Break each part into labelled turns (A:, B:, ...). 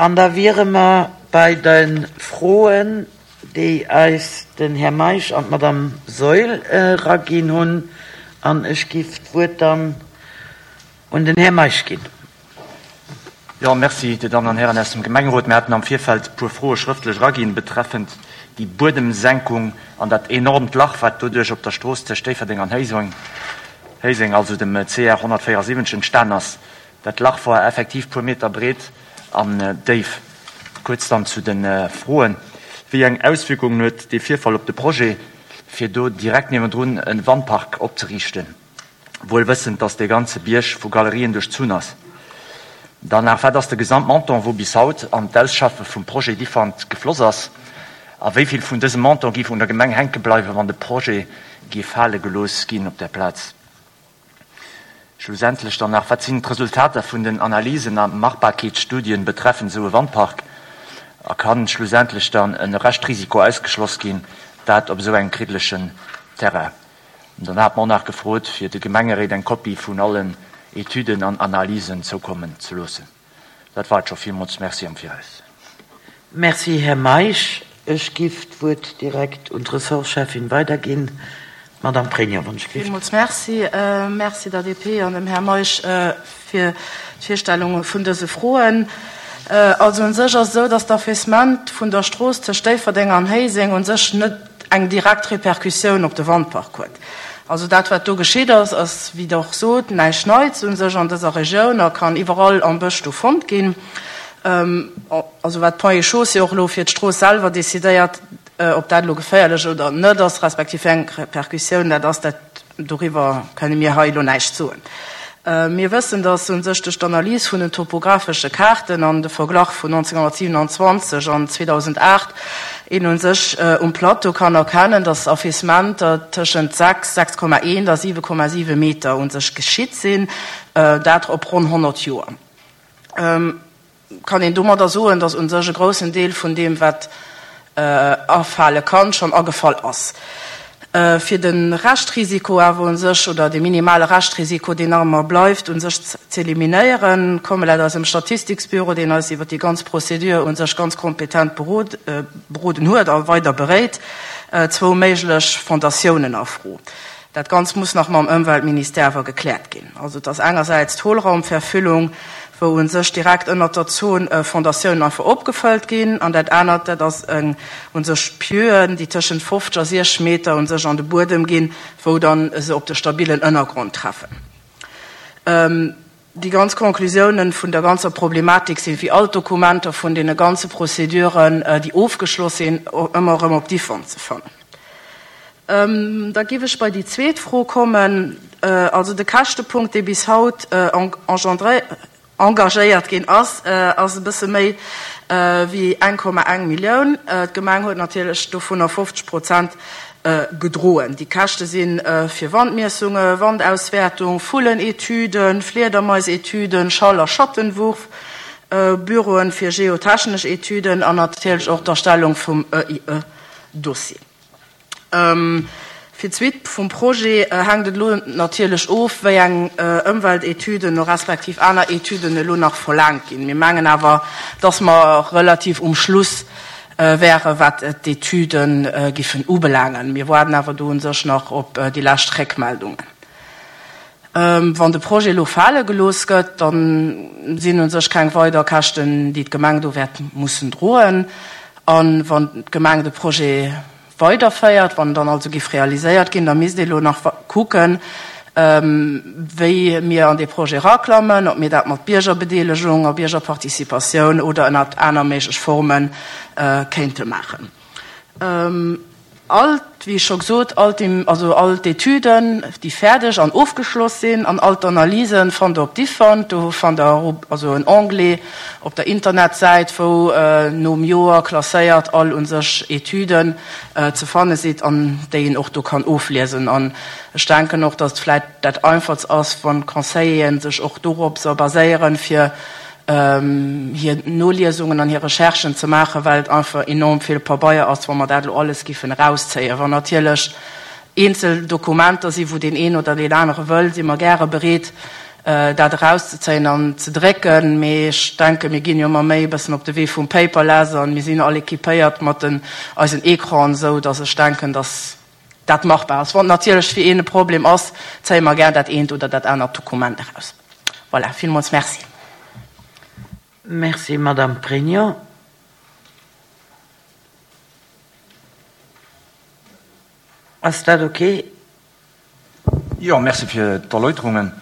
A: An da wiere mer bei de Froen, déi eis den Här Meisch an d'Madame Saeul eraginn hunn. An ech giff d'Wuert dann un den Här Meisch ginn.
B: Jo, merci, Dir Dammen an Hären aus dem Gemengerot. Mir haten am Virfeld e puer Froe schrëftlech eraginn betreffend déi Buedemsenkung an dat enormt Lach, wat doduerch op der Strooss tëscht Déifferdeng an Héiseng, also dem CR 174, entstan ass. Dat Lach war effektiv puer Meter breet an déif. Kuerz dann zu de Froen, Wéi eng Auswierkungen huet dee Virfall op de Projet, fir do direkt niewendrun e Wandpark opzeriichten, wuel wëssend, dass dee ganze Bierg vu Galerien duerchzunn ass? Dann nach, Wat ass de Gesamtmontant, wou bis haut an d'Ausschaffe vum Projet Diffant gefloss ass? A wéi vill vun dësem Montant géif un der Gemeng hänke bleiwen, wann de Projet géif fale gelooss ginn op där Plaz? Schlussendlech dann nach, Wat sinn d'Resultater vun den Analysen a Machbarkeetsstudien betreffend esou e Wandpark? A kann schlussendlech dann e Reschtrisiko ausgeschloss ginn, dat op esou engem kriddlechen Terrain? An dann hate mer och nach gefrot, fir de Gemengeréit eng Kopie vun allen Etüden an Analysen zoukommen ze loossen. Dat war et scho. Villmools Merci am Viraus.
A: Merci, Här Meisch. Ech giff d'Wuert direkt un d'Ressortscheffin weiderginn. D'Madame Pregno, wann ech giff.
C: Villmools Merci. Merci der DP an dem Här Meisch fir d'Virstellung vun dëse Froen. Also u sech ass et esou, dass d'Affaissement vun der Strooss tëscht Déifferdeng an Héiseng u sech net eng direkt Répercussioun op de Wandpark huet. Also dat, wat do geschitt ass, ass, wéi Der och sot, näischt Neits u sech an dëser Regioun a kann iwwerall am Bësch do fonnt ginn. Also wat d'Ponts et Chaussées och elo fir d'Strooss selwer decidéiert, ob dat elo geféierlech oder net ass, respektiv wéi eng Repercussioun dat ass, dat doriwwer kënne mir hei elo näischt soen. Mir wëssen, datt u sech duerch d'Analys vun den topographesche Kaarten an de Verglach vun 1927 an 2008 een u sech um Plateau kann erkennen, datt Affaissementer tëschent 6, 6,1 a 7,7 Meter u sech geschitt sinn, dat op ronn 100 Joer. Kann een domadder soen, datt u sech e groussen Deel vun deem, wat afale kann, schonn agefall ass. Fir de Reschtrisiko awer u sech, oder de minimale Reschtrisiko, deen nach ëmmer bleift, u sech z'eliminéieren, komme laut eisem Statistiksbüro, deen eis iwwer déi ganz Procédure u sech ganz kompetent beroden huet a weider beréit, zwou méiglech Fondatiounen a Fro. Dat Ganzt muss nach mam Ëmweltministère awer gekläert ginn. Also et ass engersäits d'Hohlraumverfüllung, wou u sech direkt ënnert der Zon Fondatiounen einfach opgefëllt ginn, an dat anert, dat ass eng u sech Pieuen, déi tëschent 50 a 60 Meter u sech an de Buedem ginn, wou dann se op de stabilen Ënnergrond treffen. Déi ganz Conclusiounen vun der ganzer Problematik sinn, wéi all d'Dokumenter vun deene ganze Prozeduren, déi ofgeschloss sinn, ëmmer erëm op Diffon ze fannen. Da géif ech bei déi zweet Fro kommen, also de Käschtepunkt, dee bis haut engagéiert ginn ass, ass e bësse méi wéi 1,1 Millioun. D'Gemeng huet natierlech dovunner 50 Prozent gedroen. Déi Käschte si fir Wandmiessunge, Wandauswäertung, Vullenetüden, Fliedermaisetüden, Schall a Schattenwurf, Büroen fir geotechnesch Etüden an natierlech och d'Erstellung vum EIE-Dossier. Fir d'Suite vum Projet hänkt et elo natierlech of, wéi eng Ëmweltetüden respektiv aner Etüden elo nach verlaangt ginn. Mir mengen awer, dass mer relativ um Schluss wäre wat d'Etüde giffen ubelaangen. Mir waarden awer do u sech nach op déi lescht Réckmeldungen. Wann de Projet elo fale gelooss gëtt, da sinn u sech keng weider Käschten, déi d'Gemeng do wäert mussen droen. A wann d'Gemeng de Projet weiderféiert, wann en dann also giff realiséiert ginn, da misst ee elo nach kucken, wéi mir an dee Projet eraklammen, ob mir dat mat Biergerbedeelegung a Biergerparticipatioun oder ënnert aner méiglech Forme kéinte maachen. All, wéi ech scho gesot, all d'Im, also all d'Etüden, déi fäerdeg an ofgeschloss sinn, an all d'Analysen fannt Der op Diffant. Do fannt Der also en Onglet op der Internetsäit, wou nom Joer klasséiert all u sech Etüden ze fanne sidd an déi een och do kann ofliesen. An ech denken och, dass et vläicht dat Einfachst ass, wann d'Conseilleren sech och doropser baséieren, fir hir Noliesungen an hir Recherchen ze maachen, well et einfach enorm vill Pabeier ass, wa mer dat elo alles giffen erauszéien. Wann natierlech eenzel Dokumenter sinn, wou deen een oder deen anere wëll, si mer gäre bereet. dat erauszezéien an ze drécken. Mee ech denken, mir ginn jo ëmmer méi e bëssen op de Wee vum Paperless an mir sinn all équipéiert mat den eisen Ecranen, esou datt ech denken, datt dat machbar ass. Wann natierlech fir een e Problem ass, zéie mer gär dat eent oder dat anert Dokument eraus. Voilà, villmools Merci.
A: Merci, Madame Pregno. Ass dat ok?
B: Jo, merci fir d'Erläuterungen.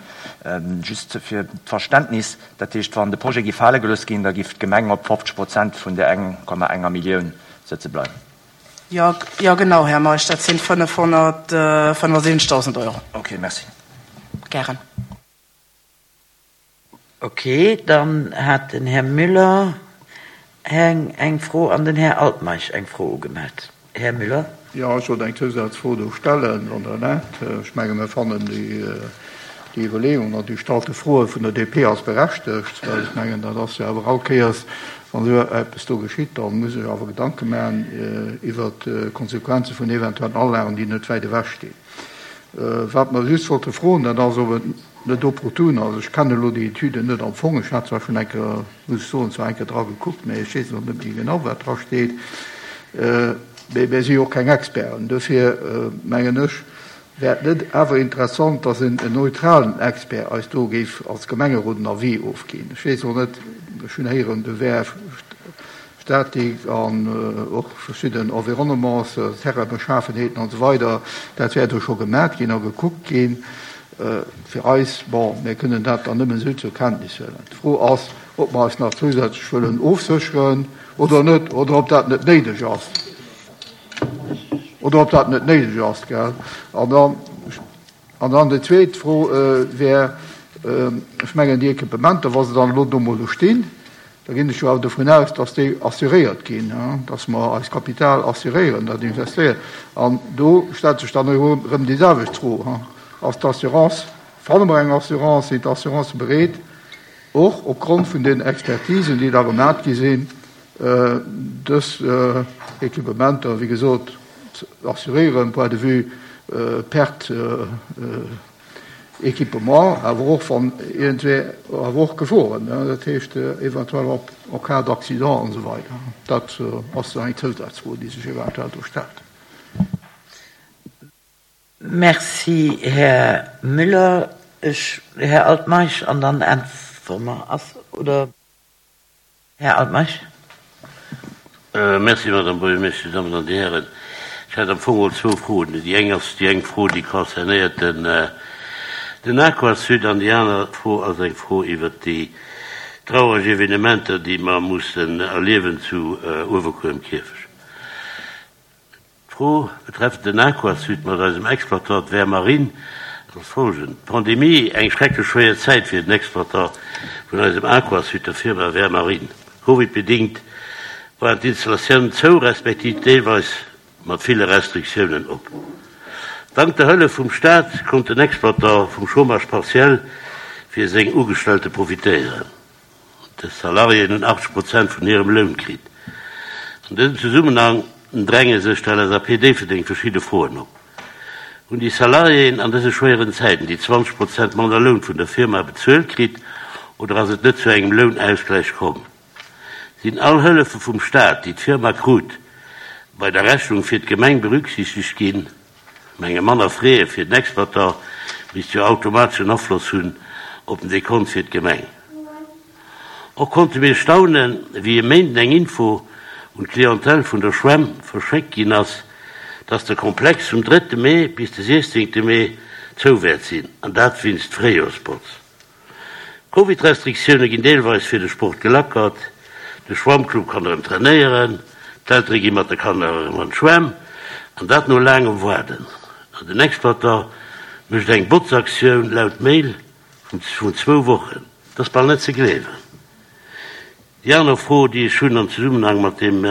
B: Just fir d'Verständnis, Dat heescht, wann de Projet géif fale gelooss ginn, da géif d'Gemeng op 50 Prozent vun där 1,enger Millioun sëtze bleiwen?
C: Jo, jo genau, Här Meisch, dat sinn 575.000 Euro.
B: Ok, merci.
C: Gären.
A: Ok, dann hat den Här Müller eng Fro an den Här Altmeisch eng Fro ugemellt. Här Müller.
D: Jo, ech wollt eng Zousazfro do stellen, wann Der erlaabt. Ech menge mir fannen déi Iwwerleeung an déi gestallte Froe vun der DP als berechtegt, well ech mengen, dat ass jo awer all Kéiers, wann esou eppes do geschitt, da muss ech awer Gedanke maachen iwwert d'Konsequenze vun eventuellen Anlagen, déi net wäit ewech stinn. Wat mer just wollte froen, dat ass, ob et net opportun ass, ech kennen elo déi Etüden net am Fong, ech hat zwar schonn eng Kéier, muss ech soen, zwar eng Kéier dra gekuckt, mä ech weess elo net méi genau, wat dra steet, mä mir si jo och keng Experten, dofir mengen ech, wär et net awer interessant, dass en neutralen Expert eis do géif als Gemengerot en Avis ofginn. Ech weess elo net, ech hunn héieren, do wär Statik an och verschidden Environnements, Terrainbeschafenheeten an esou weider, dat wär do scho gemat ginn a gekuckt ginn. Fir eis, bon, mir kënnen dat dann nëmmen esou zur Kenntnis huelen. D'Fro ass, ob mer eis nach zousätzlech wëllen ofsécheren oder net, oder ob dat net néideg ass, oder ob dat net néideg ass, gell. An dann, An dann déi zweet Fro wär, ech mengen déi Equipementer, wa se dann elo do mol do stinn, da ginn ech jo awer dovun aus, dass déi assuréiert ginn, dass mer eist Kapital assuréieren, dat investéieren. An do stellt sech dann erëm déi selwecht Fro, Ass d'Assurance, fanne mer eng Assurance, sinn d'Assurancë bereet, och opgrond vun den Expertisen, déi da gemat gi sinn, dës Equipementer, wéi gesot, ze assuréieren, point de vue perte équipement, awer och wann iergendwéi, awer och Geforen, dat heescht eventuell och en cas d'accident an esou weider. Dat ass eng Zousazfro, déi sech eventuell do stellt.
A: Merci, Här Müller. Ech, Här Altmeisch, an dann äntwere mer. Ass, oder? Här Altmeisch.
E: Merci, Madame Buergermeeschtesch, Dir Dammen an Dir Hären. Ech hätt am Fong mol zwou Froen. Déi eng ass déi eng Fro, déi concernéiert den, den Aquasud, an déi aner Fro ass eng Fro iwwert déi traureg Evenementer, déi mer mussen erliewen zu Uewerkuer um Kierfecht. D'Fro betreffend den Aquasud mat eisem Exploitant Vermarine ass folgend, D'Pandemie, eng schrecklech schwéier Zäit fir den Exploitant vun eisem Aquasud, der Firma Vermarine. Covid-bedingt waren d'Installatiounen zou, respektiv deelweis mat ville Restriktiounen op. Dank der Hëllef vum Staat konnt den Exploitant vum Chômage partiel fir seng Ugestellte profitéieren. Dës Salariéen hunn 80 Prozent vun hirem Loun kritt. An dësem Zesummenhang dränge sech der LSAP Déifferdeng verschidde Froen op. Hunn déi Salariéen an dëse schwéieren Zäiten déi 20 Prozent manner Loun vun der Firma bezuelt kritt oder ass et net zu engem Lounausgläich komm? Sinn all Hëllefe vum Staat, déi d'Firma krut, bei der Rechnung fir d'Gemeng berücksichtegt ginn? Menge manner Frais fir den Exploitant misst jo automatesch en Afloss hunn op den Dekont fir d'Gemeng. Och konnte mir staunen, wéi e Méinden eng Info un d'Clientèle vun der Schwämm verschéckt ginn ass, dass de Komplex vum drëtte Mee bis de siechzéngte Mee zou wäert sinn, an dat wéinst Fréijoerspotz. D'Covid-Restriktioune ginn deelweis fir de Sport gelackert, de Schwammclub kann erëm trainéieren, d'Eltere gi mat de Kanner erëm an d'Schwämm, an dat no laangem Waarden. An den Exploitant mécht eng Botzaktioun, laut Mail vun zwou Wochen. Dat ass bal net ze gleewen. Déi aner Fro, déi ech hunn am Zesummenhang mat deem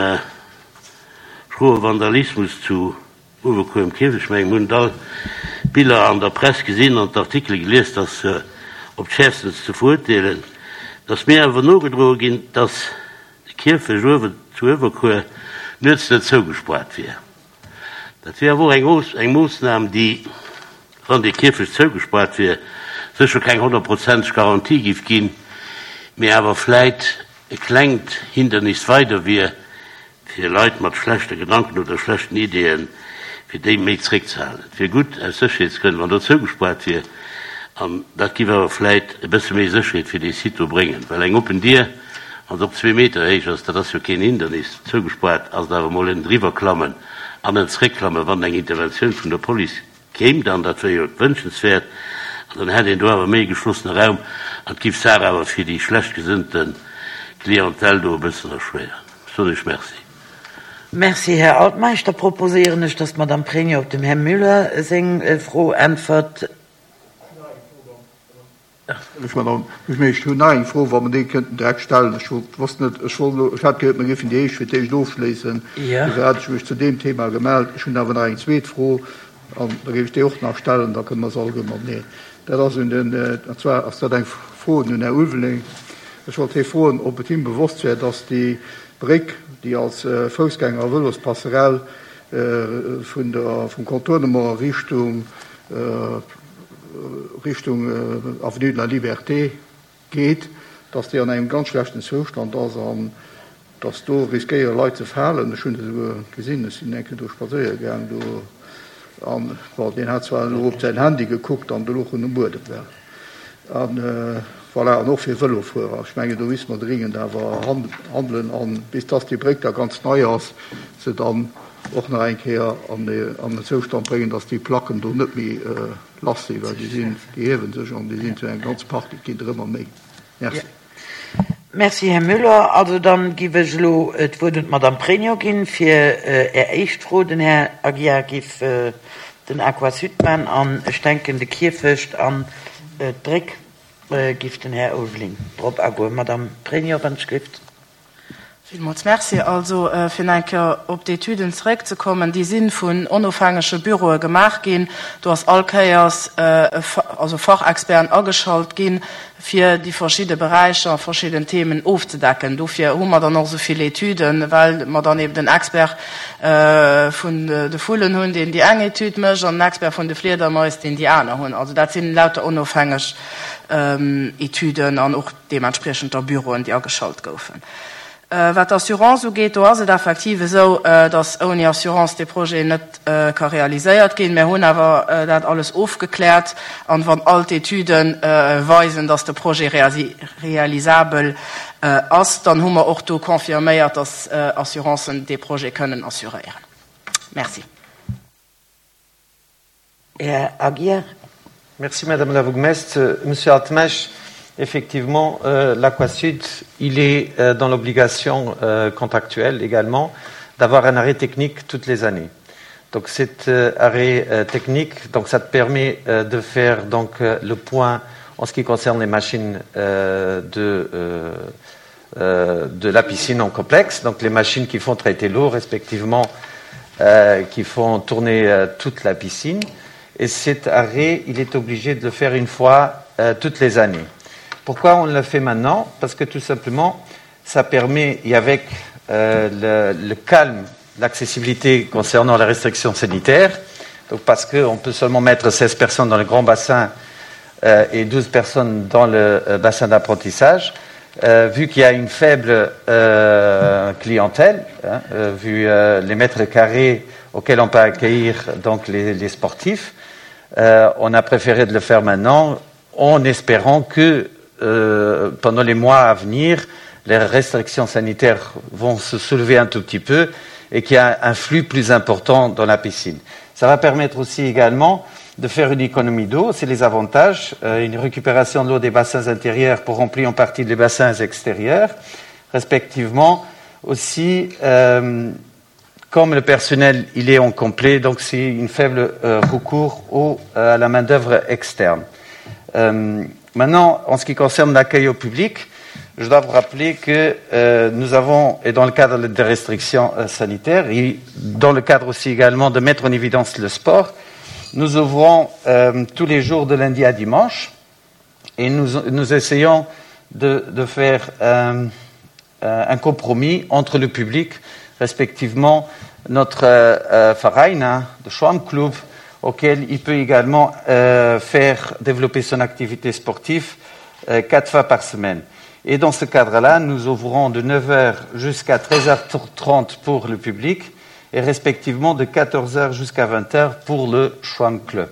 E: schroe Vandalismus zu Uewerkuer um Kierfecht, ech mengen, mir hunn et all d'Biller an der Press gesinn an d'Artikele gelies, dat ass op d'Schäerfstens ze verurteelen. Et ass mir awer nogedroe ginn, dass de Kierfecht uewen zu Uewerkuer nuets net zougespaart wier. Dat wier awer och eng Moossnam, déi, wann dee Kierfecht zougespaart wier, Sécher keng honnertprozenteg Garantie giff ginn, mee awer vläit e klengt Hindernis weider wier, fir Leit mat schlechte Gedanken oder schlechten Ideeën, fir déi méi zréckzehalen. Et wier gutt, aus Sécherheetsgrënn, wann do zougespaart wier, an dat giff awer vläit e bësse méi Sécherheet fir dee Site do bréngen, well eng oppen Dier, wann se och zwee Meter héich ass, dat ass jo keen Hindernis, zougespaart ass et awer emol en Driwwerklammen an en Zréckklammen, wann eng Interventioun vun der Police Kéim dann, dat wär jo wënschenswäert, an dann hätt een do awer méi e geschlossene Raum an et giff d'Saach awer fir déi schlecht gesënnte Clientèle do e bëssen erschwéieren. Soen ech Merci.
A: Merci, Här Altmeisch. Da proposéieren ech, dass d'Madame Pregno op dem Här Müller seng Fro äntwert.
D: Ech hunn nach eng Fro, wa mer déi kënnten direkt stellen. Ech wollt, wosst net, ech wollt elo, ech hat gehéiert, mer géifen déi éischt fir d'éischt ofschléissen. Dofir hat ech mech zu deem Thema gemellt. Ech hunn awer nach eng zweet Fro an da géif ech déi och nach stellen, da kënne mer se alleguer mateneen. Dat ass un den, an zwar ass dat eng Fro un den Här Ulveling. Ech wollt hie froen, ob et him bewosst wär, dass déi Bréck, déi als Foussgänger a Vëlospasserell vun der, vum Contournement Richtung, Richtung Avenue de la Liberté geet, dass déi an engem ganz schlechten Zoustand ass an dass do riskéiere Leit ze falen. Ech hunn et esouguer gesinn, ech sinn eng Kéier do spadséiere gaang do an, bon, deen hat zwar elo op säin Handy gekuckt an do louch en um Buedem, well. An voilà, an och fir Vëlofuerer. Ech mengen, do misste mer dringend awer handelen an bis dass déi Bréck da ganz nei ass, se dann och nach eng Kéier an en Zoustand bréngen, dass déi Placken do net méi lass sinn, well déi sinn, déi hiewe sech an déi sinn zu engem ganze Park, et ginn der ëmmer méi. Merci.
A: Merci, Här Müller. Also dann giff ech elo d'Wuert un d'Madame Pregno ginn fir Är éischt Fro. Den Här Aguiar giff den Aquasud man an ech denken de Kierfecht an d'Bréck giff den Här Ulveling drop agoen. Madame Pregno, wann ech gelift.
C: Villmools Merci. Also, fir nach eng Kéier op d'Etüden zeréckzekommen, déi si vun onofhängege Büroe gemaach ginn. Do ass all Kéiers also Fachexperten ageschalt ginn, fir déi verschidde Beräicher a verschidden Themen ofzedecken. Dofir hu mer dann och esou vill Etüden, well mer dann eben den Expert vun de Vullen hunn, deen déi eng Etüd mécht, an den Expert vun de Fliedermais, deen déi aner hunn. Also dat sinn lauter onofhängeg Etüden an och deementspriechend da Büroen, déi ageschalt goufen. Wat d'Assurance ugeet, do ass et effektiv esou, datt ouni Assurance dee Projet net ka realiséiert ginn. Mir hunn awer dat alles ofgekläert an wann all d'Etüde weisen, datt de Projet realisabel ass, dann hu mer och do confirméiert, datt Assurancen dee Projet kënnen assuréieren. Merci.
A: Här Aguiar.
F: Merci Madame la Bourgmestre. Monsieur Altmeisch, effectivement, euh, l'Aquasud, il est euh, dans l'obligation euh, contractuelle également d'avoir un arrêt technique toutes les années. Donc cet euh, arrêt euh, technique, donc ça te permet euh, de faire donc euh, le point en ce qui concerne les machines euh, de, euh, euh, de la piscine en complexe, donc les machines qui font traiter l'eau respectivement euh, qui font tourner euh, toute la piscine. Et cet arrêt, il est obligé de le faire une fois euh, toutes les années. Pourquoi on le fait maintenant Parce que tout simplement, ça permet, et avec euh, le, le calme, l'accessibilité concernant la restriction sanitaire, donc parce qu'on peut seulement mettre 16 personnes dans le grand bassin euh, et 12 personnes dans le euh, bassin d'apprentissage, euh, vu qu'il y a une faible euh, clientèle, hein, euh, vu euh, les mètres carrés auxquels on peut accueillir donc les, les sportifs, euh, on a préféré de le faire maintenant en espérant que euh, pendant les mois à venir, les restrictions sanitaires vont se soulever un tout petit peu et qu'il y a un flux plus important dans la piscine. Ça va permettre aussi également de faire une économie d'eau, c'est les avantages, euh, une récupération de l'eau des bassins intérieurs pour remplir en partie les bassins extérieurs, respectivement aussi euh, comme le personnel il est en complet, donc c'est une faible euh, recours au, euh, à la main d'œuvre externe. Euh, maintenant, en ce qui concerne l'accueil au public, je dois vous rappeler que euh, nous avons, et dans le cadre des restrictions euh, sanitaires, et dans le cadre aussi également de mettre en évidence le sport, nous ouvrons euh, tous les jours de lundi à dimanche et nous, nous essayons de, de faire euh, euh, un compromis entre le public, respectivement notre euh, euh Verein, de Schwammclub. auquel il peut également euh, faire développer son activité sportive euh, quatre fois par semaine. Et dans ce cadre-là, nous ouvrons de 9h jusqu'à 13h30 pour le public et respectivement de 14h jusqu'à 20h pour le Schwamm Club.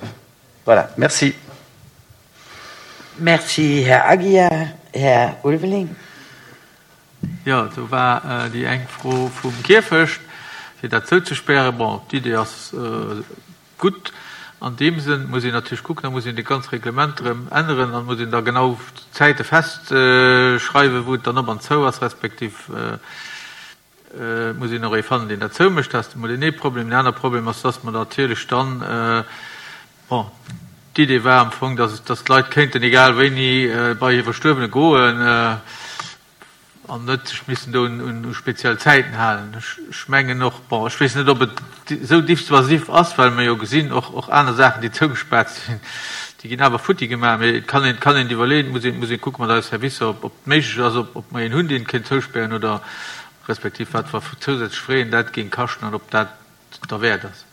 F: Voilà, merci.
A: Merci, Här Aguiar. Här Ulveling.
G: Jo, do war déi eng Fro vum Kierfecht, fir dat zouzespären. Bon, d'Idee ass gutt. An deem Sënn muss een natierlech kucken, da muss een déi ganz Reglement erëm änneren an muss een da genau d'Zäite festschreiwen, wou et dann op an zou ass, respektiv et muss een och ee fannen, deen dat zoumécht. Dat ass emol deen ee Problem. Deen anere Problem ass, dass mer natierlech dann, bon, d'Idee war am Fong, dass, dass d'Leit kéinten egal wéini bei hir Verstuerwene goen an net sech missen do un speziell Zäiten halen. Ech mengen och, bon, ech weess net, ob et esou dissuasif ass, well mer jo gesinn, och, och aner Saachen, déi zougespaart sinn, déi ginn awer futti gemaach. Mee et kann een, kann een et iwwerleeën, et muss een, muss een kucke mat eise Servicer, ob, ob et méiglech ass, ob, ob mer een hunn, deen et kéint zouspären oder respektiv wat fir zousätzlech Frais dat géing kaschten an ob dat derwäert ass.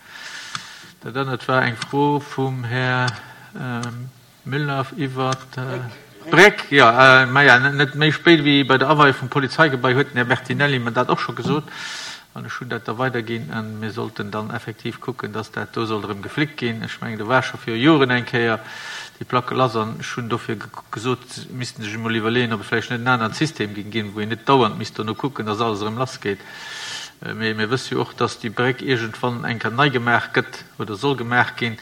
G: Dat anert war eng Fro vum Här Müller iwwer d'Bréck. Jo, maja, net méi spéit wéi bei der Aweiung vum Polizeigebai huet den Här Bertinelli mer dat och scho gesot an ech hunn dat da weiderginn. A mir sollten dann effektiv kucken, dass dat do sollt erëm geflickt ginn. Ech mengen, do war scho viru Joren eng Kéier déi Placke lass an ech hunn dofir gesot, se missten sech emol iwwerleeën, ob et vläicht net en anert System géing ginn, wou een net dauernd misst dono kucken, dass alles erëm lassgeet. Mee mir wësse jo och, dass déi Bréck iergendwann eng Kéier nei gemaach gëtt oder soll gemaach ginn.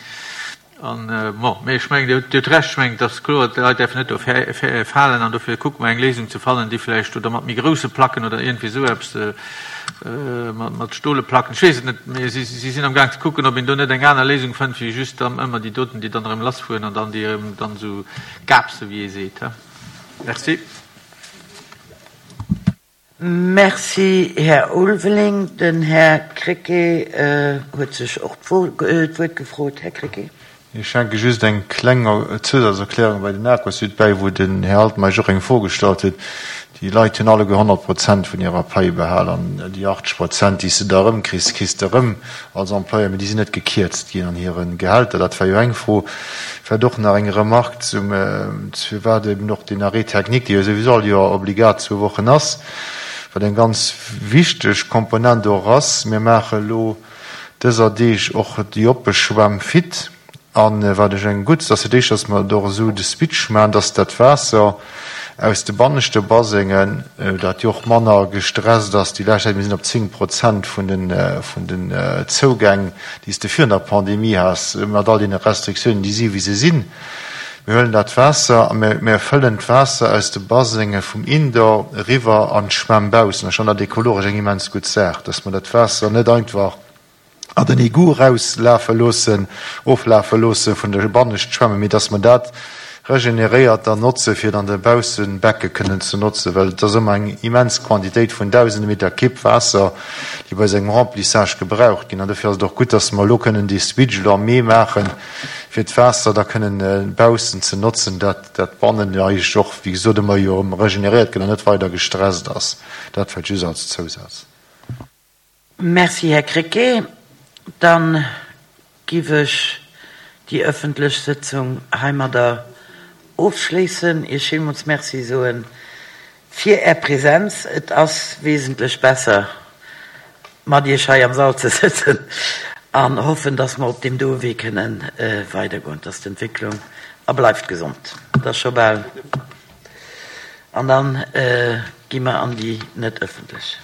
G: An, bon, mee ech mengen, Dir hutt Recht, ech mengen, et ass kloer, d'Leit däerfen net do falen an dofir kucke mer eng Léisung ze fannen, déi vläicht oder mat méi grousse Placken oder iergendwéi esou eppes, mat stole Placken, ech weess et net, mee si sinn am Gaang ze kucken, ob een do net eng aner Léisung fënnt wéi just dann ëmmer déi doten, déi dann erëm lassfueren an dann déi erëm dann esou gaapse wéi ee seet. Merci.
A: Merci, Här Ulveling. Den Här Krecké huet sech och d'Wuert gefrot. Här Krecké.
H: Ech hänke just eng kleng Zousazerklärung bei den Aquasud bäi, wou den Här Altmeisch och eng Fro gestallt huet. Déi Leit hunn alleguer 100 Prozent vun hirer Pai behal an déi 80 Prozent, déi s de da erëmkriss, kriss de erëm als Employeur, mee déi sinn net gekierzt ginn an hire Gehälter. Dat war jo eng Fro. Vläicht och nach eng Remarque zum, firwat eben och deen Arrêt technique, dee jo souwisou all Joer obligat zwou Wochen ass, wat eng ganz wichteg Komponent och ass. Mir maache elo dëser Deeg och déi oppe Schwämm fit. A wat ech eng gutt, ass fir d'éischt, dass mer och esou de Switch maachen, dass dat Waasser aus de banneschte Basengen, dat jo och manner gestresst ass déi lescht Zäit, mir sinn op 10 Prozent vun den, vun den Zougäng, déi s de virun der Pandemie has, mat all deene Restriktiounen, déi si wéi se sinn. Mir huelen dat Waasser a mir, mir fëllen d'Waasser aus de Basenge vum Indoor eriwwer an d'Schwämm baussen. Ech fannen dat ekologesch eng immens gutt Saach, dass mer dat Waasser net einfach, an den Egout erauslafe loossen, oflafe loosse vun de Banneschtschwämmen, mee dass mer dat regeneréiert dann notze fir et an de Baussebecke kënnen ze notzen, well et ass ëmmer eng immens Quantitéit vun dausende Meter Kibb Waasser, déi bei esou engem Remplissage gebraucht ginn. An dofir ass et och gutt, dass mer elo kënnen dee Switch elo am Mee maachen, fir d'Waasser da kënnen baussen ze notzen, dat dat bannen eigentlech och, wéi gesot, ëmmer jo erëm regeneréiert gëtt an net weider gestresst ass. Dat vläicht just als Zousaz.
A: Merci, Här Krecké. Dann giff ech déi öffentlech Sëtzung heimadder ofschléissen, Iech villmools Merci soen fir Är Präsenz. Et ass wesentlech besser, mat Iech hei am Sall ze sëtzen, an hoffen, dass mer op deem doe Wee kënnen weidergoen. Et ass d'Entwécklung. A bleift gesond, et ass scho bal. An dann gi mer an déi net öffentlech.